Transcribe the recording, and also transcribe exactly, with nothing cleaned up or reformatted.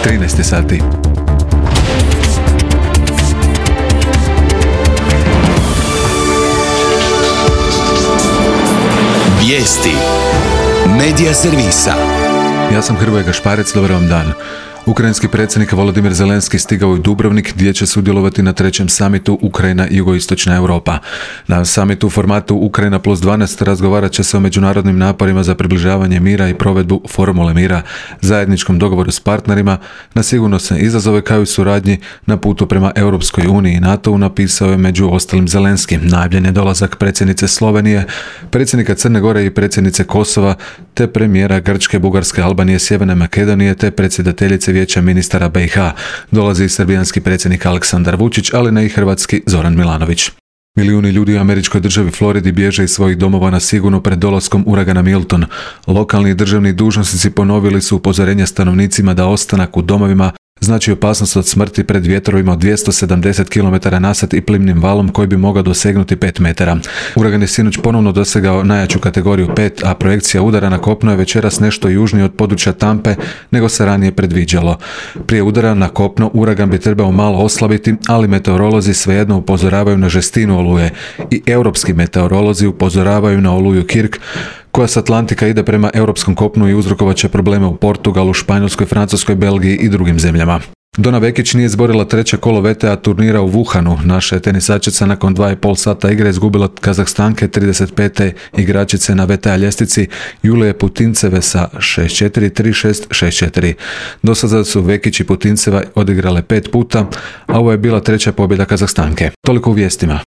trinaest sati. Vijesti Medija servisa. Ja sam Hrvoje Gašparec, dobar vam dan. Ukrajinski predsjednik Volodimir Zelenski stigao u Dubrovnik gdje će sudjelovati na trećem samitu Ukrajina i jugoistočna Europa. Na samitu u formatu Ukrajina plus dvanaest razgovarat će se o međunarodnim naporima za približavanje mira i provedbu formule mira, zajedničkom dogovoru s partnerima, na sigurnosne izazove kao i suradnji na putu prema Europskoj uniji i NATO-u, napisao je među ostalim Zelenski. Najavljen je dolazak predsjednice Slovenije, predsjednika Crne Gore i predsjednice Kosova, te premijera Grčke, Bugarske, Albanije, Sjeverne Makedonije, te predsjedateljice Vijeća ministara B i H. Dolazi i srbijanski predsjednik Aleksandar Vučić, ali ne i hrvatski Zoran Milanović. Milijuni ljudi u američkoj državi Floridi bježe iz svojih domova na sigurno pred dolaskom uragana Milton. Lokalni i državni dužnosnici ponovili su upozorenja stanovnicima da ostanak u domovima znači opasnost od smrti pred vjetrovima od dvjesto sedamdeset kilometara na sat i plimnim valom koji bi mogao dosegnuti pet metara. Uragan je sinoć ponovno dosegao najjaču kategoriju pet, a projekcija udara na kopno je večeras nešto južnije od područja Tampe nego se ranije predviđalo. Prije udara na kopno uragan bi trebao malo oslabiti, ali meteorolozi svejedno upozoravaju na žestinu oluje i europski meteorolozi upozoravaju na oluju Kirk, koja s Atlantika ide prema europskom kopnu i uzrokovat će probleme u Portugalu, Španjolskoj, Francuskoj, Belgiji i drugim zemljama. Dona Vekić nije izborila treće kolo V T A turnira u Wuhanu. Naša je tenisačica nakon dva i pol sata igre izgubila Kazahstanke, trideset pete igračice na V T A ljestvici Julije Putinceve sa šest četiri, tri šest, šest četiri. Do sada su Vekić i Putinceva odigrale pet puta, a ovo je bila treća pobjeda Kazahstanke. Toliko u vijestima.